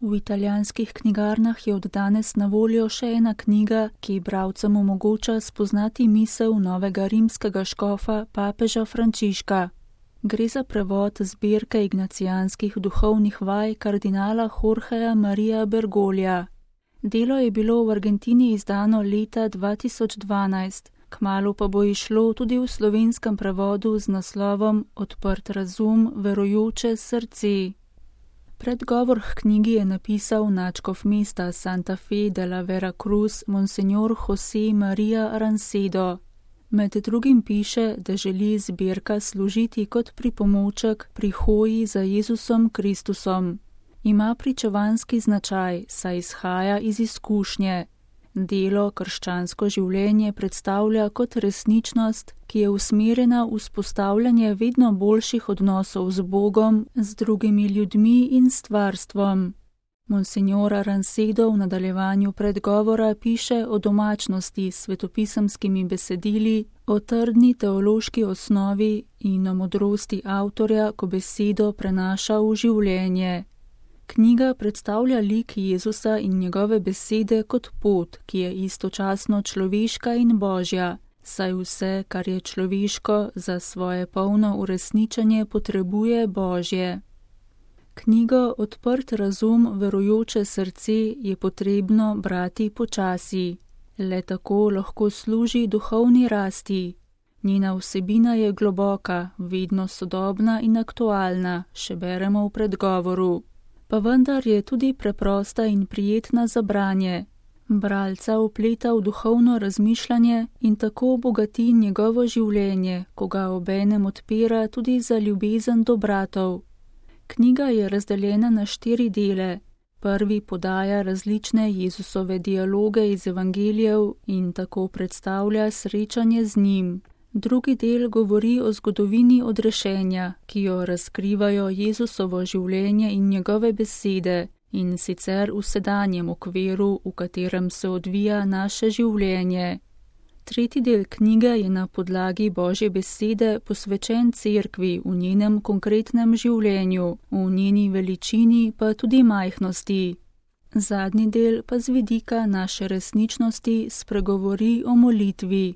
V italijanskih knjigarnah je od danes na voljo še ena knjiga, ki bralcem omogoča spoznati misel novega rimskega škofa papeža Frančiška. Gre za prevod zbirke ignacijanskih duhovnih vaj kardinala Jorgeja Marija Bergoglija. Delo je bilo v Argentini izdano leta 2012, kmalu pa bo izšlo tudi v slovenskem prevodu z naslovom Odprt razum, verujoče srce. Predgovor k knjigi je napisal nadškof mesta Santa Fe de la Veracruz Monsignor José María Rancedo. Med drugim piše, da želi zbirka služiti kot pripomoček pri hoji za Jezusom Kristusom. Ima pričevanski značaj, saj izhaja iz izkušnje. Delo krščansko življenje predstavlja kot resničnost, ki je usmerjena v vzpostavljanje vedno boljših odnosov z Bogom, z drugimi ljudmi in stvarstvom. Monsignor Rancedo v nadaljevanju predgovora piše o domačnosti s svetopisemskimi besedili, o trdni teološki osnovi in o modrosti avtorja, ko besedo prenaša v življenje. Knjiga predstavlja lik Jezusa in njegove besede kot pot, ki je istočasno človeška in božja, saj vse, kar je človeško, za svoje polno uresničenje potrebuje božje. Knjigo Odprt razum, verujoče srce je potrebno brati počasi. Le tako lahko služi duhovni rasti. Njena vsebina je globoka, vedno sodobna in aktualna, še beremo v predgovoru. Pa vendar je tudi preprosta in prijetna za branje. Bralca vpleta v duhovno razmišljanje in tako bogati njegovo življenje, ko ga obenem odpira tudi za ljubezen do bratov. Knjiga je razdeljena na 4 dele. Prvi podaja različne Jezusove dialoge iz evangelijev in tako predstavlja srečanje z njim. Drugi del govori o zgodovini odrešenja, ki jo razkrivajo Jezusovo življenje in njegove besede, in sicer v sedanjem okviru, v katerem se odvija naše življenje. Tretji del knjige je na podlagi Božje besede posvečen cerkvi v njenem konkretnem življenju, v njeni veličini pa tudi majhnosti. Zadnji del pa z vidika naše resničnosti spregovori o molitvi.